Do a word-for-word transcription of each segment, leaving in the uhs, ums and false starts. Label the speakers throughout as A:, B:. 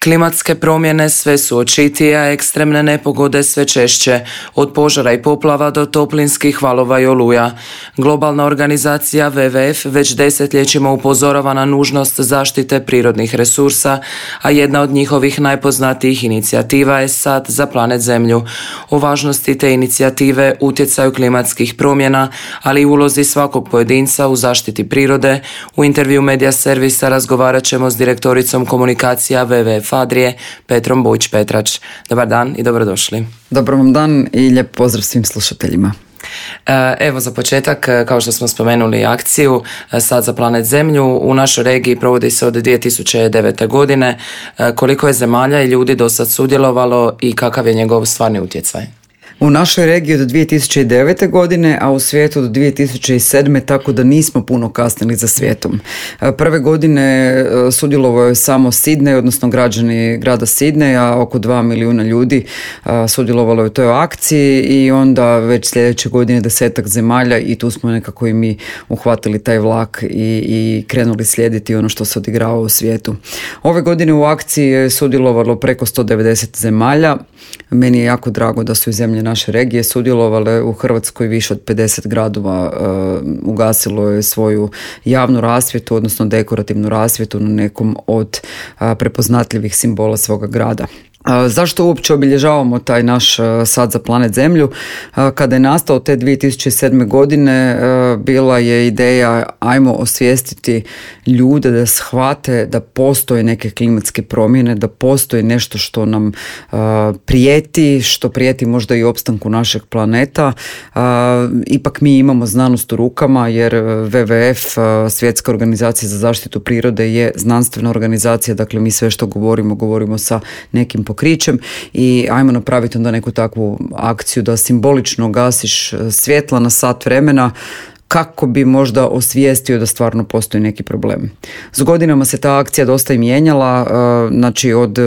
A: Klimatske promjene sve su očitije, a ekstremne nepogode sve češće, od požara i poplava do toplinskih valova i oluja. Globalna organizacija W W F već desetljećima upozorava na nužnost zaštite prirodnih resursa, a jedna od njihovih najpoznatijih inicijativa je Sad za planet Zemlju. O važnosti te inicijative, utjecaju klimatskih promjena, ali i ulozi svakog pojedinca u zaštiti prirode, u intervju Medija servisa razgovarat ćemo s direktoricom komunikacija W W F Adrije, Petrom Bujić-Petrač. Dobar dan i dobrodošli.
B: Dobar vam dan i lijep pozdrav svim slušateljima.
A: Evo za početak, kao što smo spomenuli akciju Sad za planet Zemlju, u našoj regiji provodi se od dvije tisuće devete. godine. Koliko je zemalja i ljudi do sad sudjelovalo i kakav je njegov stvarni utjecaj?
B: U našoj regiji od dvije tisuće devete. godine, a u svijetu do dvije tisuće sedme. tako da nismo puno kasnili za svijetom. Prve godine sudjelovao je samo Sidney, odnosno građani grada Sidneja, oko dva milijuna ljudi sudjelovalo je u toj akciji i onda već sljedeće godine desetak zemalja i tu smo nekako i mi uhvatili taj vlak i, i krenuli slijediti ono što se odigrava u svijetu. Ove godine u akciji je sudjelovalo preko sto devedeset zemalja. Meni je jako drago da su i zemlje naše regije sudjelovale. U Hrvatskoj više od pedeset gradova uh, ugasilo je svoju javnu rasvjetu, odnosno dekorativnu rasvjetu na nekom od uh, prepoznatljivih simbola svoga grada. Zašto uopće obilježavamo taj naš Sad za planet Zemlju? Kada je nastao te dvije tisuće sedme. godine, bila je ideja ajmo osvijestiti ljude da shvate da postoje neke klimatske promjene, da postoji nešto što nam prijeti, što prijeti možda i opstanku našeg planeta. Ipak mi imamo znanost u rukama jer W W F, Svjetska organizacija za zaštitu prirode, je znanstvena organizacija, dakle mi sve što govorimo, govorimo sa nekim pokrićem i ajmo napraviti onda neku takvu akciju da simbolično gasiš svjetla na sat vremena kako bi možda osvijestio da stvarno postoji neki problem. S godinama se ta akcija dosta i mijenjala, znači od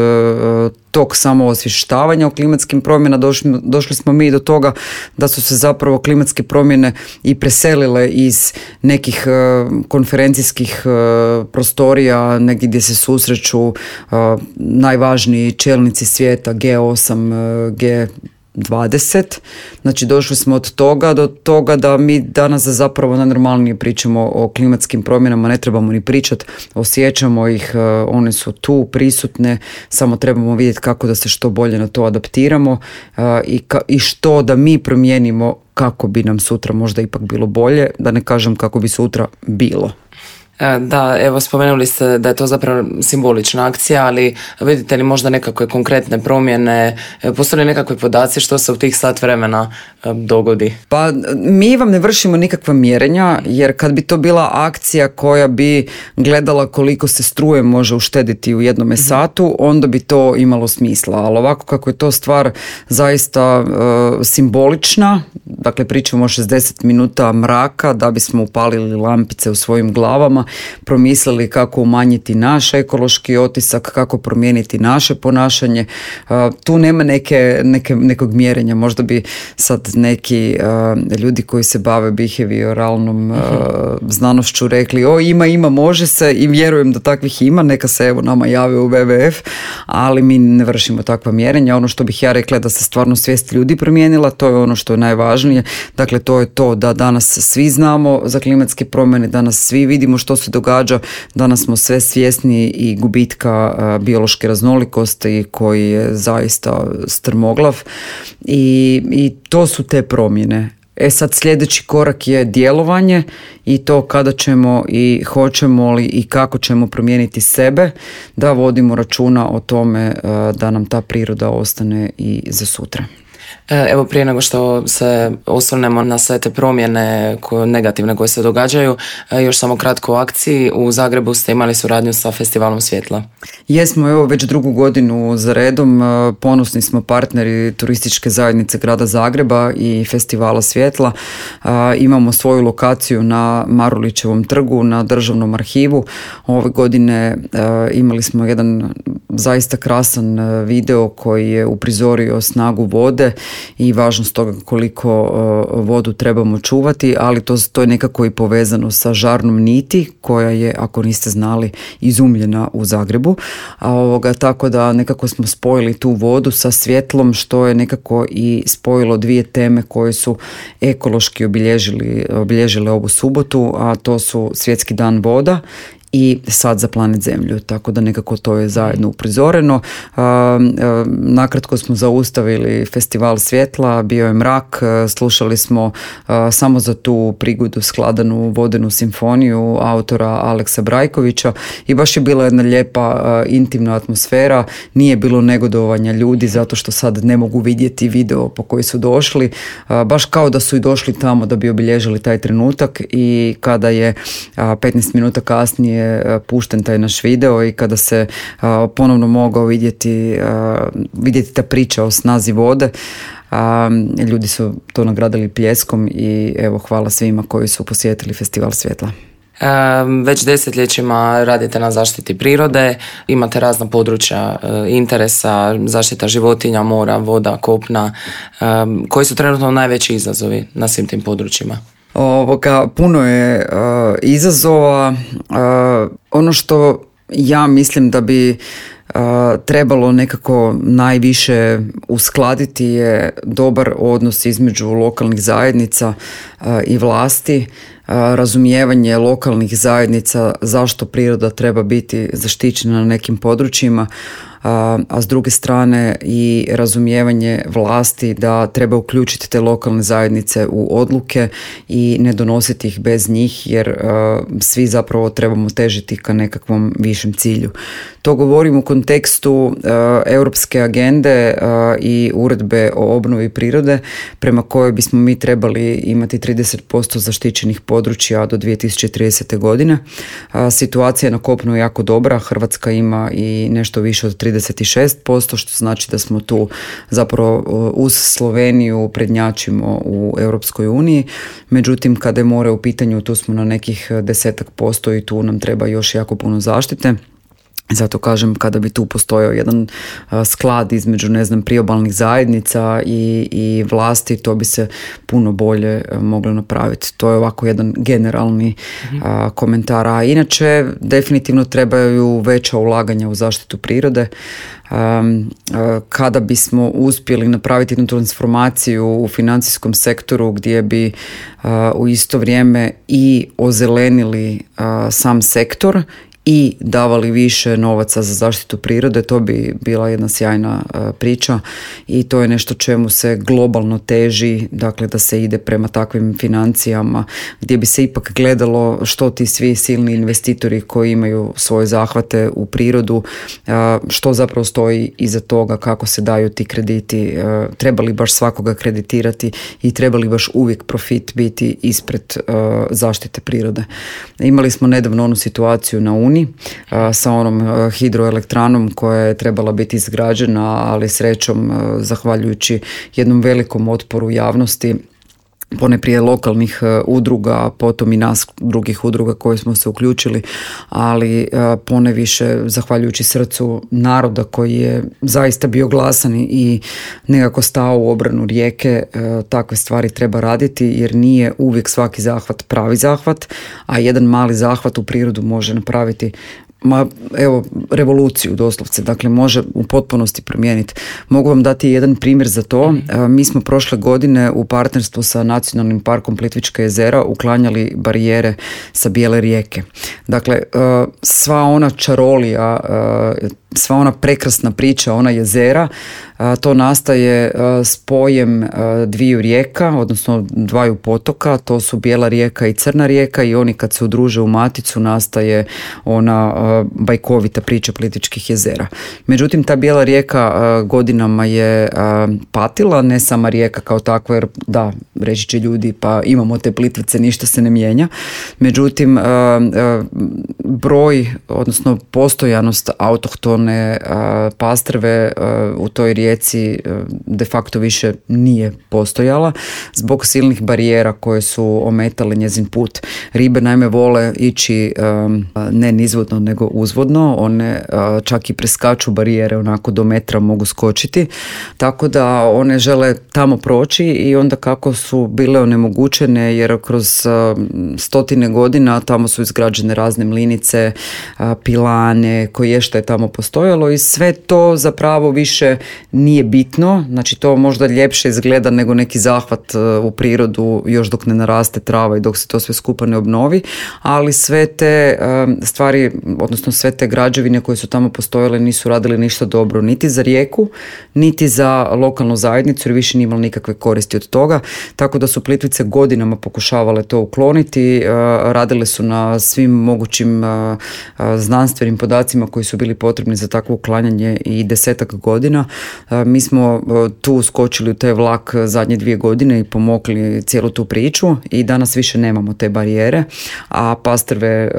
B: tog samo osvještavanja o klimatskim promjena došli, došli smo mi do toga da su se zapravo klimatske promjene i preselile iz nekih konferencijskih prostorija, negdje gdje se susreću najvažniji čelnici svijeta, G osam, G dvadeset. Znači došli smo od toga do toga da mi danas zapravo najnormalnije pričamo o klimatskim promjenama, ne trebamo ni pričati, osjećamo ih, one su tu prisutne, samo trebamo vidjeti kako da se što bolje na to adaptiramo i, ka, i što da mi promijenimo kako bi nam sutra možda ipak bilo bolje, da ne kažem kako bi sutra bilo.
A: Da, evo spomenuli ste da je to zapravo simbolična akcija, ali vidite li možda nekakve konkretne promjene, postoje li nekakve podaci što se u tih sat vremena dogodi?
B: Pa mi vam ne vršimo nikakva mjerenja, jer kad bi to bila akcija koja bi gledala koliko se struje može uštediti u jednome satu, onda bi to imalo smisla, ali ovako kako je to stvar zaista uh, simbolična, dakle pričamo o šezdeset minuta mraka da bismo upalili lampice u svojim glavama, promislili kako umanjiti naš ekološki otisak, kako promijeniti naše ponašanje. Uh, tu nema neke, neke, nekog mjerenja. Možda bi sad neki uh, ljudi koji se bave behavioralnom uh, znanošću rekli o ima, ima, može se i vjerujem da takvih ima, neka se evo nama jave u W W F, ali mi ne vršimo takva mjerenja. Ono što bih ja rekla da se stvarno svijest ljudi promijenila, to je ono što je najvažnije. Dakle, to je to da danas svi znamo za klimatske promjene, danas svi vidimo što se događa, danas smo sve svjesni i gubitka uh, biološke raznolikosti koji je zaista strmoglav i, i to su te promjene. E sad sljedeći korak je djelovanje i to kada ćemo i hoćemo li i kako ćemo promijeniti sebe, da vodimo računa o tome uh, da nam ta priroda ostane i za sutra.
A: Evo prije nego što se osvrnemo na sve te promjene koje, negativne koje se događaju, još samo kratko o akciji. U Zagrebu ste imali suradnju sa Festivalom svjetla.
B: Jesmo, evo već drugu godinu za redom, ponosni smo partneri turističke zajednice grada Zagreba i Festivala svjetla. Imamo svoju lokaciju na Marulićevom trgu, na Državnom arhivu. Ove godine imali smo jedan zaista krasan video koji je uprizorio snagu vode i važnost toga koliko vodu trebamo čuvati, ali to, to je nekako i povezano sa žarnom niti koja je, ako niste znali, izumljena u Zagrebu. A ovoga, tako da nekako smo spojili tu vodu sa svjetlom, što je nekako i spojilo dvije teme koje su ekološki obilježili, obilježile ovu subotu, a to su Svjetski dan voda i Sad za planet Zemlju, tako da nekako to je zajedno uprizoreno. Nakratko smo zaustavili festival svjetla, bio je mrak, slušali smo samo za tu prigodu skladanu vodenu simfoniju autora Aleksa Brajkovića i baš je bila jedna lijepa intimna atmosfera, nije bilo negodovanja ljudi zato što sad ne mogu vidjeti video po koji su došli, baš kao da su i došli tamo da bi obilježili taj trenutak, i kada je petnaest minuta kasnije pušten taj naš video i kada se a, ponovno mogao vidjeti, a, vidjeti ta priča o snazi vode, a, ljudi su to nagradili pljeskom i evo, hvala svima koji su posjetili Festival svjetla.
A: E, već desetljećima radite na zaštiti prirode, imate razna područja e, interesa, zaštita životinja, mora, voda, kopna. E, koji su trenutno najveći izazovi na svim tim područjima?
B: Ovoga, puno je uh, izazova. Uh, ono što ja mislim da bi uh, trebalo nekako najviše uskladiti je dobar odnos između lokalnih zajednica uh, i vlasti, uh, razumijevanje lokalnih zajednica zašto priroda treba biti zaštićena na nekim područjima, a, a s druge strane i razumijevanje vlasti da treba uključiti te lokalne zajednice u odluke i ne donositi ih bez njih, jer a, svi zapravo trebamo težiti ka nekakvom višem cilju. To govorim u kontekstu a, europske agende a, i uredbe o obnovi prirode, prema kojoj bismo mi trebali imati trideset posto zaštićenih područja do dvije tisuće tridesete. godine. A, situacija na kopnu je jako dobra, Hrvatska ima i nešto više od trideset šest posto, što znači da smo tu zapravo uz Sloveniju prednjačimo u Europskoj uniji. Međutim, kada je more u pitanju, tu smo na nekih desetak posto i tu nam treba još jako puno zaštite. Zato kažem, kada bi tu postojao jedan a, sklad između, ne znam, priobalnih zajednica i, i vlasti, to bi se puno bolje a, moglo napraviti. To je ovako jedan generalni a, komentar. A inače, definitivno trebaju veća ulaganja u zaštitu prirode. A, a, kada bismo uspjeli napraviti jednu transformaciju u financijskom sektoru gdje bi a, u isto vrijeme i ozelenili a, sam sektor i davali više novaca za zaštitu prirode, to bi bila jedna sjajna uh, priča i to je nešto čemu se globalno teži, dakle da se ide prema takvim financijama gdje bi se ipak gledalo što ti svi silni investitori koji imaju svoje zahvate u prirodu, uh, što zapravo stoji iza toga, kako se daju ti krediti, uh, treba li baš svakoga kreditirati i treba li baš uvijek profit biti ispred uh, zaštite prirode. Imali smo nedavno onu situaciju na Uni sa onom hidroelektranom koja je trebala biti izgrađena, ali srećom, zahvaljujući jednom velikom otporu javnosti, poneprije lokalnih udruga, a potom i nas drugih udruga koje smo se uključili, ali poneviše zahvaljujući srcu naroda koji je zaista bio glasan i nekako stao u obranu rijeke, takve stvari treba raditi, jer nije uvijek svaki zahvat pravi zahvat, a jedan mali zahvat u prirodu može napraviti ma evo revoluciju doslovce, dakle može u potpunosti promijeniti. Mogu vam dati jedan primjer za to. Mi smo prošle godine u partnerstvu sa Nacionalnim parkom Plitvička jezera uklanjali barijere sa Bijele rijeke. Dakle, sva ona čarolija, sva ona prekrasna priča, ona jezera, to nastaje spojem dviju rijeka, odnosno dvaju potoka, to su Bijela rijeka i Crna rijeka, i oni kad se udruže u maticu nastaje ona bajkovita priča Plitvičkih jezera. Međutim, ta Bijela rijeka godinama je patila, ne sama rijeka kao takva, jer da, reći će ljudi, pa imamo te Plitvice, ništa se ne mijenja. Međutim, broj, odnosno postojanost autohtone pastrve u toj rijeci rijeci de facto više nije postojala zbog silnih barijera koje su ometale njezin put. Ribe naime vole ići ne nizvodno nego uzvodno, one čak i preskaču barijere, onako do metra mogu skočiti, tako da one žele tamo proći i onda kako su bile onemogućene jer kroz stotine godina tamo su izgrađene razne mlinice, pilane, koje što je tamo postojalo i sve to zapravo više nije bitno, znači to možda ljepše izgleda nego neki zahvat u prirodu još dok ne naraste trava i dok se to sve skupa ne obnovi, ali sve te stvari, odnosno sve te građevine koje su tamo postojale nisu radili ništa dobro niti za rijeku, niti za lokalnu zajednicu jer više nije imalo nikakve koristi od toga, tako da su Plitvice godinama pokušavale to ukloniti, radile su na svim mogućim znanstvenim podacima koji su bili potrebni za takvo uklanjanje i desetak godina. Mi smo tu skočili u taj vlak zadnje dvije godine i pomogli cijelu tu priču i danas više nemamo te barijere, a pastrve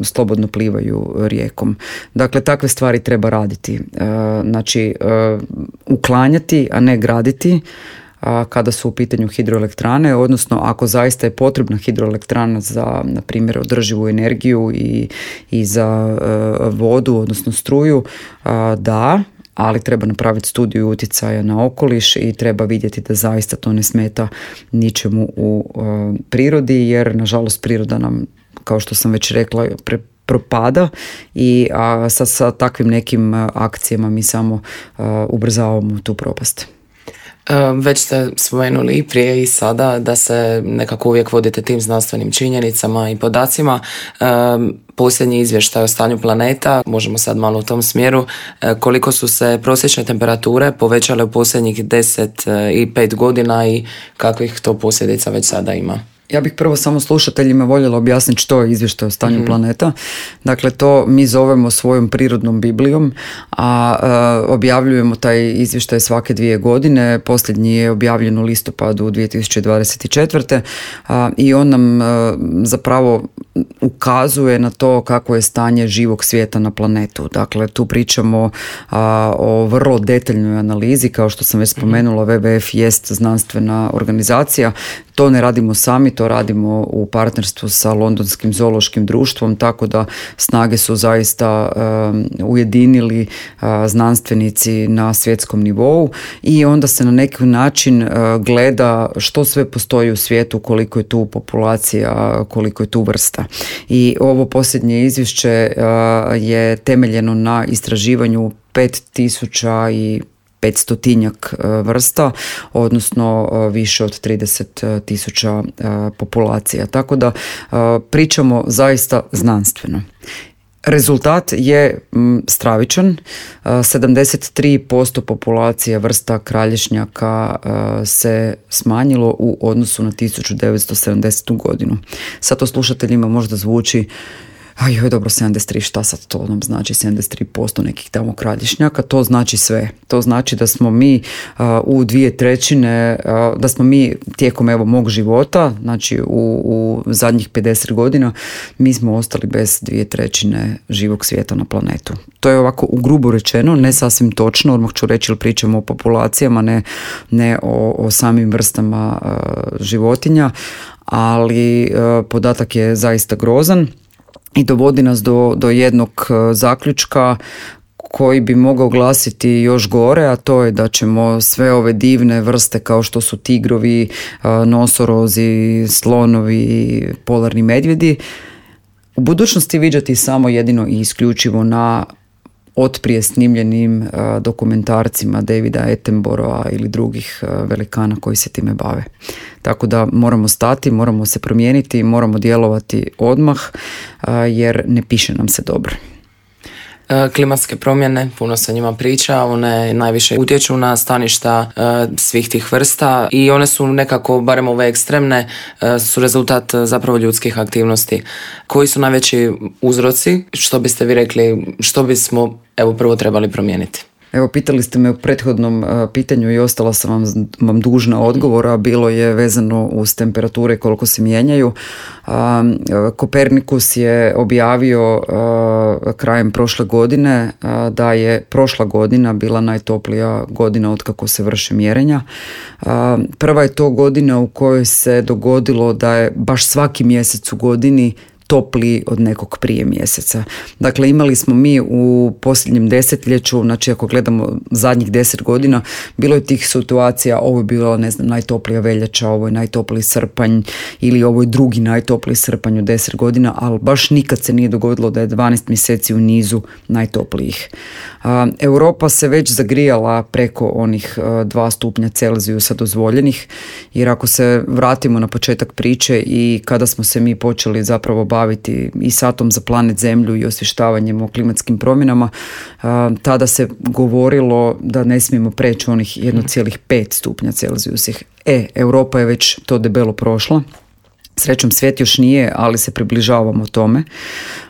B: slobodno plivaju rijekom. Dakle, takve stvari treba raditi. Znači, uklanjati, a ne graditi kada su u pitanju hidroelektrane, odnosno ako zaista je potrebna hidroelektrana za, na primjer, održivu energiju i, i za uh, vodu, odnosno struju, uh, da, ali treba napraviti studiju utjecaja na okoliš i treba vidjeti da zaista to ne smeta ničemu u uh, prirodi, jer nažalost priroda nam, kao što sam već rekla, pre propada i a, sa, sa takvim nekim uh, akcijama mi samo uh, ubrzavamo tu propast.
A: Već ste spomenuli i prije i sada da se nekako uvijek vodite tim znanstvenim činjenicama i podacima. Posljednji izvještaj o stanju planeta, možemo sad malo u tom smjeru, koliko su se prosječne temperature povećale u posljednjih deset i pet godina i kakvih to posljedica već sada ima?
B: Ja bih prvo samo slušateljima voljela objasniti što je izvještaj o stanju mm-hmm. planeta. Dakle, to mi zovemo svojom prirodnom Biblijom, a, a objavljujemo taj izvještaj svake dvije godine. Posljednji je objavljen u listopadu dvije tisuće dvadeset četvrte. A, i on nam a, zapravo ukazuje na to kako je stanje živog svijeta na planetu. Dakle, tu pričamo a, o vrlo detaljnoj analizi, kao što sam već spomenula, W W F jest znanstvena organizacija. To ne radimo sami, to radimo u partnerstvu sa Londonskim zoološkim društvom, tako da snage su zaista um, ujedinili uh, znanstvenici na svjetskom nivou i onda se na neki način uh, gleda što sve postoji u svijetu, koliko je tu populacija, koliko je tu vrsta. I ovo posljednje izvješće uh, je temeljeno na istraživanju pet tisuća i petstotinjak vrsta, odnosno više od trideset tisuća populacija. Tako da pričamo zaista znanstveno. Rezultat je stravičan. sedamdeset tri posto populacije vrsta kralješnjaka se smanjilo u odnosu na tisuću devetsto sedamdesetu godinu. Sad to slušateljima možda zvuči aj joj, dobro, sedamdeset tri, šta sad to nam znači, sedamdeset tri posto nekih tamo kralješnjaka, to znači sve. To znači da smo mi uh, u dvije trećine, uh, da smo mi tijekom evo mog života, znači u, u zadnjih pedeset godina, mi smo ostali bez dvije trećine živog svijeta na planetu. To je ovako u grubo rečeno, ne sasvim točno, odmah ću reći, jer pričamo o populacijama, ne, ne o, o samim vrstama uh, životinja, ali uh, podatak je zaista grozan. I dovodi nas do, do jednog zaključka koji bi mogao glasiti još gore, a to je da ćemo sve ove divne vrste kao što su tigrovi, nosorozi, slonovi, polarni medvjedi u budućnosti viđati samo jedino i isključivo na otprije snimljenim dokumentarcima Davida Attenborougha ili drugih velikana koji se time bave. Tako da moramo stati, moramo se promijeniti, moramo djelovati odmah jer ne piše nam se dobro.
A: Klimatske promjene, puno se o njima priča, one najviše utječu na staništa uh, svih tih vrsta i one su nekako, barem ove ekstremne, uh, su rezultat uh, zapravo ljudskih aktivnosti. Koji su najveći uzroci? Što biste vi rekli, što bismo evo prvo trebali promijeniti?
B: Evo, pitali ste me u prethodnom pitanju i ostala sam vam, vam dužna odgovora, bilo je vezano uz temperature koliko se mijenjaju. Kopernikus je objavio krajem prošle godine da je prošla godina bila najtoplija godina od kako se vrše mjerenja. Prva je to godina u kojoj se dogodilo da je baš svaki mjesec u godini topliji od nekog prije mjeseca. Dakle, imali smo mi u posljednjem desetljeću, znači ako gledamo zadnjih deset godina, bilo je tih situacija, ovo je bila, ne znam, najtoplija veljača, ovo je najtopliji srpanj ili ovo je drugi najtopliji srpanj u deset godina, ali baš nikad se nije dogodilo da je dvanaest mjeseci u nizu najtoplijih. Europa se već zagrijala preko onih dva stupnja Celzijusa dozvoljenih, jer ako se vratimo na početak priče i kada smo se mi počeli zapravo baviti i satom za planet Zemlju i osvještavanjem o klimatskim promjenama, tada se govorilo da ne smijemo preći onih jedan zarez pet stupnja Celzijusa. E, Europa je već to debelo prošla. Srećom, svijet još nije, ali se približavamo tome.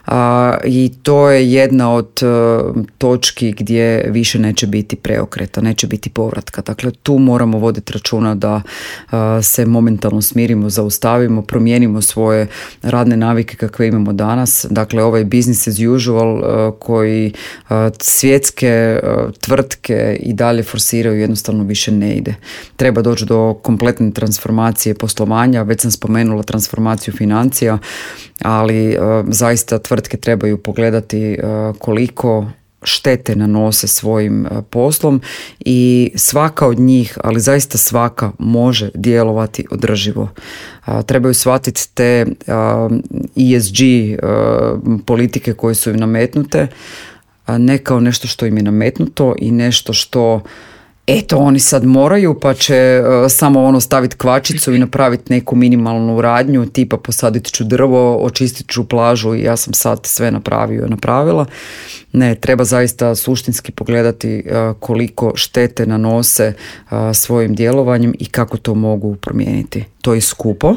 B: A, i to je jedna od uh, točki gdje više neće biti preokreta, neće biti povratka. Dakle, tu moramo voditi računa da uh, se momentalno smirimo, zaustavimo, promijenimo svoje radne navike kakve imamo danas. Dakle, ovaj business as usual uh, koji uh, svjetske uh, tvrtke i dalje forsiraju jednostavno više ne ide. Treba doći do kompletne transformacije poslovanja, već sam spomenula transformaciju financija, ali uh, zaista tvrtke trebaju pogledati uh, koliko štete nanose svojim uh, poslom i svaka od njih, ali zaista svaka, može djelovati održivo. Uh, trebaju shvatiti te uh, E S G uh, politike koje su im nametnute, uh, ne kao nešto što im je nametnuto i nešto što eto, oni sad moraju, pa će uh, samo ono staviti kvačicu i napraviti neku minimalnu radnju, tipa posadit ću drvo, očistit ću plažu i ja sam sad sve napravio i napravila. Ne, treba zaista suštinski pogledati uh, koliko štete nanose uh, svojim djelovanjem i kako to mogu promijeniti. To je skupo,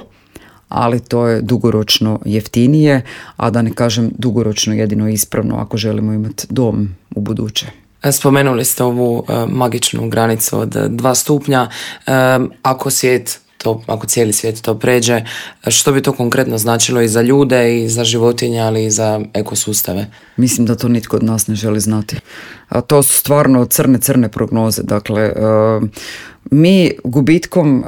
B: ali to je dugoročno jeftinije, a da ne kažem dugoročno jedino ispravno ako želimo imati dom u buduće.
A: Spomenuli ste ovu uh, magičnu granicu od dva stupnja. Uh, ako svijet to, ako cijeli svijet to pređe, što bi to konkretno značilo i za ljude i za životinje, ali i za ekosustave?
B: Mislim da to nitko od nas ne želi znati. A to su stvarno crne, crne prognoze. Dakle, uh, mi gubitkom uh,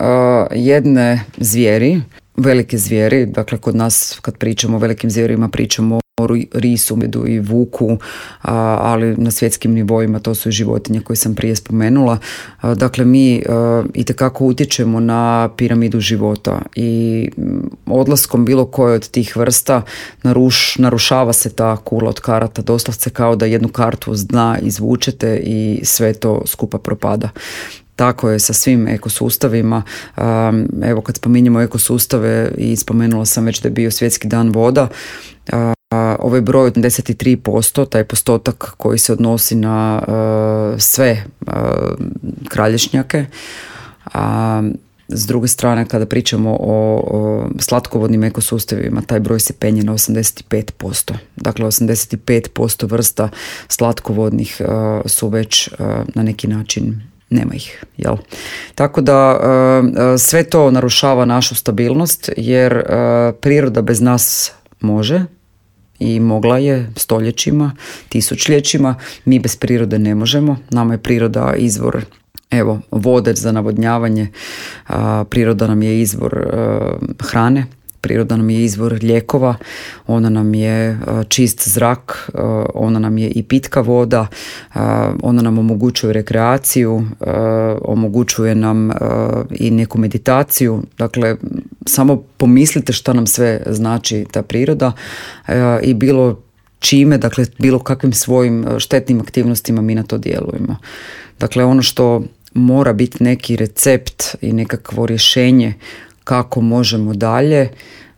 B: jedne zvijeri, velike zvijeri, dakle kod nas kad pričamo o velikim zvijerima pričamo o risu, medu i vuku, a, ali na svjetskim nivoima to su i životinje koje sam prije spomenula. A, dakle, mi a, itekako utječemo na piramidu života i odlaskom bilo koje od tih vrsta naruš, narušava se ta kula od karata, doslovce kao da jednu kartu s dna izvučete i sve to skupa propada. Tako je sa svim ekosustavima. Evo, kad spominjemo ekosustave i spomenula sam već da je bio svjetski dan voda, ovaj broj od osamdeset tri posto, taj postotak koji se odnosi na sve kralješnjake. S druge strane, kada pričamo o, o slatkovodnim ekosustavima, taj broj se penje na osamdeset pet posto. Dakle, osamdeset pet posto vrsta slatkovodnih uh, su već uh, na neki način nema ih, jel? Tako da uh, sve to narušava našu stabilnost, jer uh, priroda bez nas može i mogla je stoljećima, tisućljećima. Mi bez prirode ne možemo. Nama je priroda izvor, evo, vode za navodnjavanje, uh, priroda nam je izvor uh, hrane, priroda nam je izvor lijekova, ona nam je čist zrak, ona nam je i pitka voda, ona nam omogućuje rekreaciju, omogućuje nam i neku meditaciju. Dakle, samo pomislite šta nam sve znači ta priroda i bilo čime, dakle bilo kakvim svojim štetnim aktivnostima mi na to djelujemo. Dakle, ono što mora biti neki recept i nekakvo rješenje kako možemo dalje,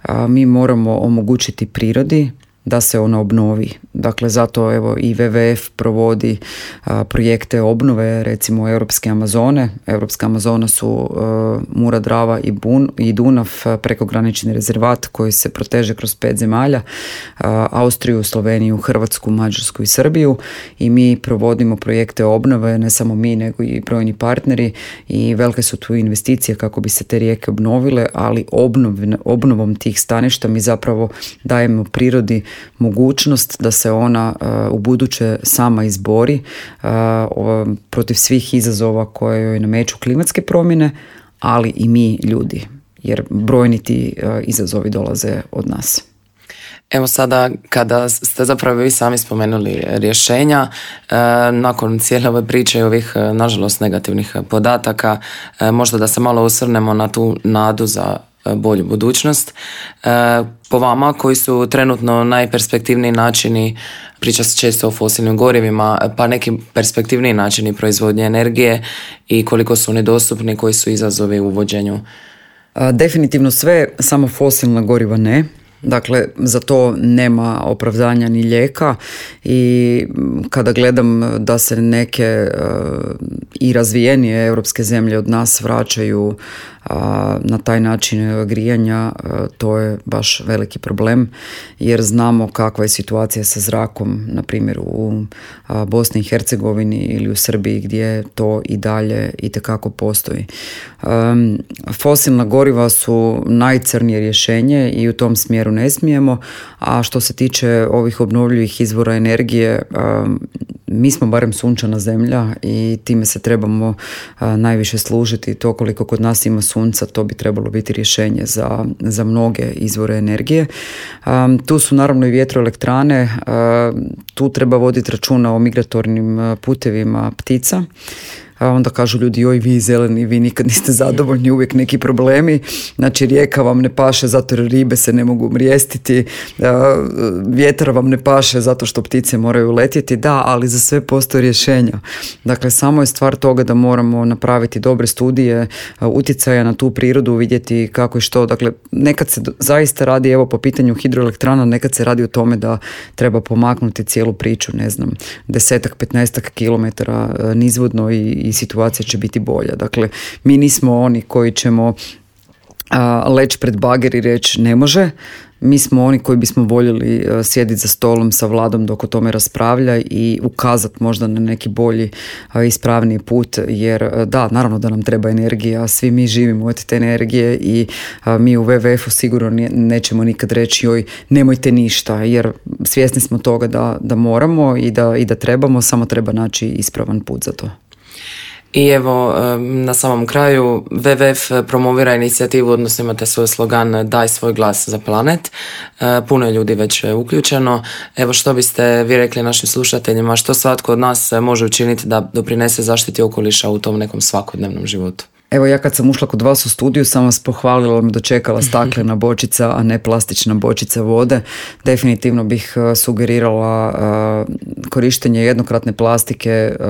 B: a mi moramo omogućiti prirodi da se ona obnovi. Dakle, zato evo i W W F provodi a, projekte obnove, recimo Europske Amazone. Europska Amazona su a, Mura, Drava i, Bun, i Dunav, prekogranični rezervat koji se proteže kroz pet zemalja, a, Austriju, Sloveniju, Hrvatsku, Mađarsku i Srbiju, i mi provodimo projekte obnove, ne samo mi nego i brojni partneri, i velike su tu investicije kako bi se te rijeke obnovile, ali obnov, obnovom tih staništa mi zapravo dajemo prirodi mogućnost da se ona uh, u buduće sama izbori uh, o, protiv svih izazova koje joj nameću klimatske promjene, ali i mi ljudi, jer brojni ti uh, izazovi dolaze od nas.
A: Evo sada kada ste zapravo vi sami spomenuli rješenja, e, nakon cijele ove priče i ovih nažalost negativnih podataka, e, možda da se malo osvrnemo na tu nadu za bolju budućnost. E, po vama, koji su trenutno najperspektivniji načini, priča se često o fosilnim gorivima, pa neki perspektivniji načini proizvodnje energije i koliko su oni dostupni, koji su izazovi u uvođenju?
B: A, definitivno sve, samo fosilna goriva ne. Dakle, za to nema opravdanja ni lijeka, i kada gledam da se neke uh, i razvijenije europske zemlje od nas vraćaju uh, na taj način grijanja, uh, to je baš veliki problem, jer znamo kakva je situacija sa zrakom, na primjer u uh, Bosni i Hercegovini ili u Srbiji, gdje to i dalje itekako postoji. Um, fosilna goriva su najcrnije rješenje i u tom smjeru ne smijemo, a što se tiče ovih obnovljivih izvora energije, um, mi smo barem sunčana zemlja i time se trebamo uh, najviše služiti. To koliko kod nas ima sunca, to bi trebalo biti rješenje za, za mnoge izvore energije. Um, tu su naravno i vjetroelektrane, uh, tu treba voditi računa o migratornim putevima ptica. A onda kažu ljudi, joj vi zeleni, vi nikad niste zadovoljni, uvijek neki problemi. Znači rijeka vam ne paše zato jer ribe se ne mogu mrijestiti, vjetar vam ne paše zato što ptice moraju letjeti. Da, ali za sve postoje rješenja. Dakle, samo je stvar toga da moramo napraviti dobre studije utjecaja na tu prirodu, vidjeti kako i što. Dakle, nekad se zaista radi, evo po pitanju hidroelektrana, nekad se radi o tome da treba pomaknuti cijelu priču, ne znam, desetak, petnaestak kilometara nizvodno i i situacija će biti bolja. Dakle, mi nismo oni koji ćemo a, leći pred bager i reći ne može. Mi smo oni koji bismo voljeli uh, sjediti za stolom sa vladom dok o tome raspravlja i ukazati možda na neki bolji, uh, ispravniji put, jer uh, da, naravno da nam treba energija, svi mi živimo od te energije i uh, mi u W W F-u sigurno nećemo nikad reći joj nemojte ništa, jer svjesni smo toga da, da moramo i da, i da trebamo, samo treba naći ispravan put za to.
A: I evo, na samom kraju, W W F promovira inicijativu, odnosno imate svoj slogan Daj svoj glas za planet. Puno je ljudi već uključeno. Evo, što biste vi rekli našim slušateljima, što svatko od nas može učiniti da doprinese zaštiti okoliša u tom nekom svakodnevnom životu?
B: Evo, ja kad sam ušla kod vas u studiju sam vas pohvalila, me dočekala staklena bočica, a ne plastična bočica vode. Definitivno bih sugerirala uh, korištenje jednokratne plastike uh,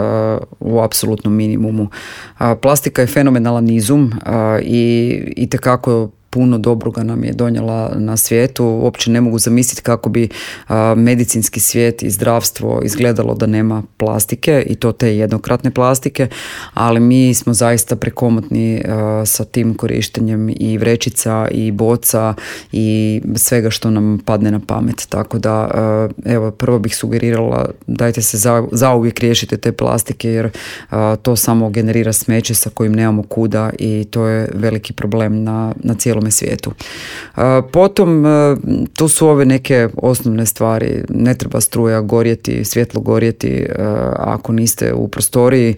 B: u apsolutnom minimumu. Uh, plastika je fenomenalan izum uh, i itekako puno dobroga nam je donijela na svijetu. Uopće ne mogu zamisliti kako bi a, medicinski svijet i zdravstvo izgledalo da nema plastike, i to te jednokratne plastike, ali mi smo zaista prekomotni a, sa tim korištenjem i vrećica i boca i svega što nam padne na pamet. Tako da, a, evo, prvo bih sugerirala, dajte se za, zauvijek riješite te plastike, jer a, to samo generira smeće sa kojim nemamo kuda i to je veliki problem na, na cijelom svijetu. Potom tu su ove neke osnovne stvari, ne treba struja gorjeti, svjetlo gorjeti ako niste u prostoriji,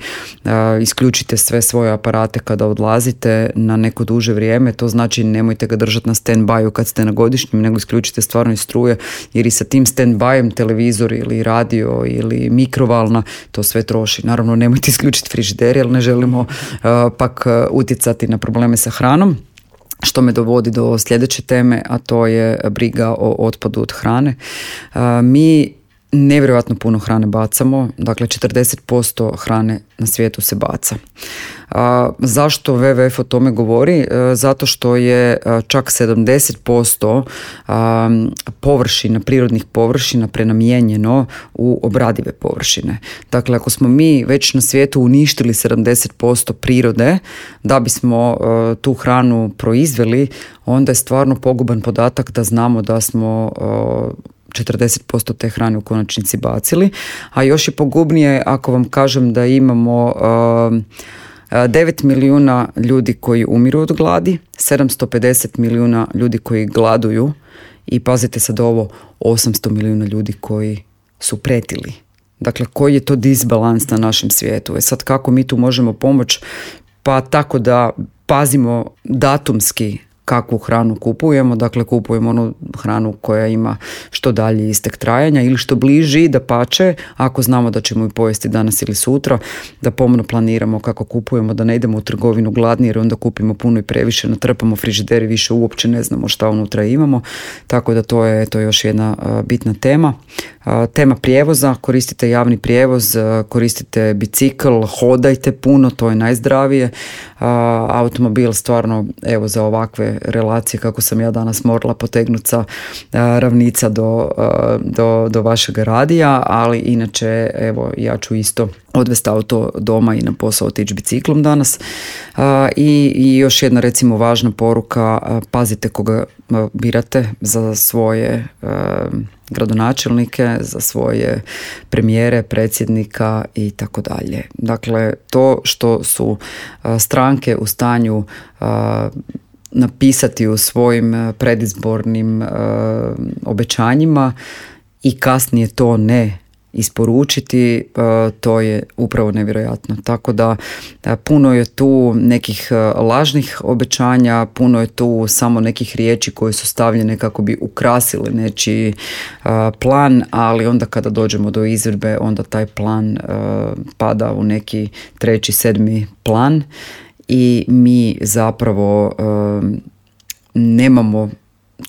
B: isključite sve svoje aparate kada odlazite na neko duže vrijeme, to znači nemojte ga držati na stand-by kad ste na godišnjem, nego isključite stvarno iz struje, jer i sa tim stand-byem televizor ili radio ili mikrovalna to sve troši. Naravno, nemojte isključiti frižider, jer ne želimo pak utjecati na probleme sa hranom. Što me dovodi do sljedeće teme, a to je briga o otpadu od hrane. Mi nevjerojatno puno hrane bacamo, dakle četrdeset posto hrane na svijetu se baca. Zašto W W F o tome govori? Zato što je čak sedamdeset posto površina, prirodnih površina prenamijenjeno u obradive površine. Dakle, ako smo mi već na svijetu uništili sedamdeset posto prirode da bismo tu hranu proizveli, onda je stvarno poguban podatak da znamo da smo četrdeset posto te hrane u konačnici bacili, a još je pogubnije ako vam kažem da imamo devet milijuna ljudi koji umiru od gladi, sedamsto pedeset milijuna ljudi koji gladuju i pazite sad ovo, osamsto milijuna ljudi koji su pretili. Dakle, koji je to disbalans na našem svijetu? E sad, kako mi tu možemo pomoći? Pa tako da pazimo datumski kakvu hranu kupujemo, dakle kupujemo onu hranu koja ima što dalje istek trajanja ili što bliži, da pače, ako znamo da ćemo ju pojesti danas ili sutra, da pomno planiramo kako kupujemo, da ne idemo u trgovinu gladni jer onda kupimo puno i previše, natrpamo frižideri, više uopće ne znamo šta unutra imamo, tako da to je, to je još jedna uh, bitna tema. Uh, tema prijevoza, koristite javni prijevoz, uh, koristite bicikl, hodajte puno, to je najzdravije. Uh, automobil stvarno, evo, za ovakve relacije kako sam ja danas morala potegnuti sa uh, Ravnica do, uh, do, do vašeg radija, ali inače, evo, ja ću isto odvesti auto doma i na posao otići biciklom danas. Uh, i, I još jedna, recimo, važna poruka, uh, pazite koga uh, birate za svoje uh, gradonačelnike, za svoje premijere, predsjednika i tako dalje. Dakle, to što su uh, stranke u stanju uh, napisati u svojim predizbornim uh, obećanjima i kasnije to ne isporučiti, uh, to je upravo nevjerojatno. Tako da uh, puno je tu nekih uh, lažnih obećanja, puno je tu samo nekih riječi koje su stavljene kako bi ukrasile nečiji uh, plan, ali onda kada dođemo do izvedbe, onda taj plan uh, pada u neki treći, sedmi plan i mi zapravo uh, nemamo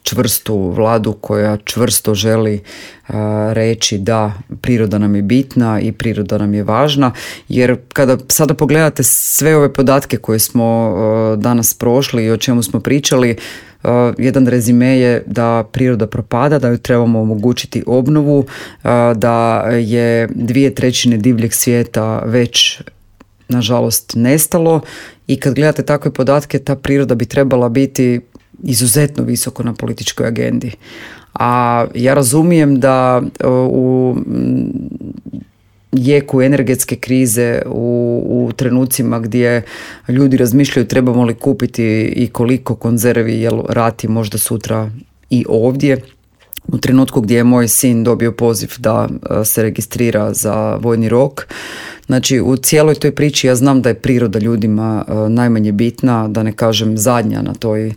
B: čvrstu vladu koja čvrsto želi uh, reći da priroda nam je bitna i priroda nam je važna, jer kada sada pogledate sve ove podatke koje smo uh, danas prošli i o čemu smo pričali, uh, jedan rezime je da priroda propada, da ju trebamo omogućiti obnovu, uh, da je dvije trećine divljeg svijeta već nažalost nestalo i kad gledate takve podatke, ta priroda bi trebala biti izuzetno visoko na političkoj agendi. A ja razumijem da u jeku energetske krize, u, u trenucima gdje ljudi razmišljaju trebamo li kupiti i koliko konzervi, jer rat je možda sutra i ovdje. U trenutku gdje je moj sin dobio poziv da se registrira za vojni rok. Znači, u cijeloj toj priči ja znam da je priroda ljudima najmanje bitna, da ne kažem zadnja na toj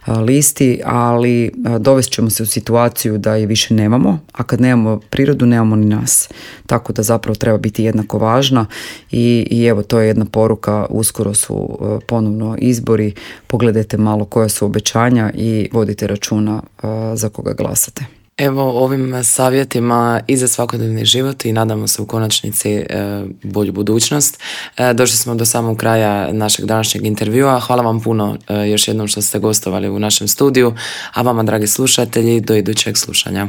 B: listi, ali dovest ćemo se u situaciju da je više nemamo, a kad nemamo prirodu, nemamo ni nas. Tako da zapravo treba biti jednako važna i, i evo, to je jedna poruka, uskoro su ponovno izbori, pogledajte malo koja su obećanja i vodite računa za koga glasate.
A: Evo, ovim savjetima i za svakodnevni život i nadamo se u konačnici e, bolju budućnost. E, došli smo do samog kraja našeg današnjeg intervjua. Hvala vam puno e, još jednom što ste gostovali u našem studiju, a vama, dragi slušatelji, do idućeg slušanja.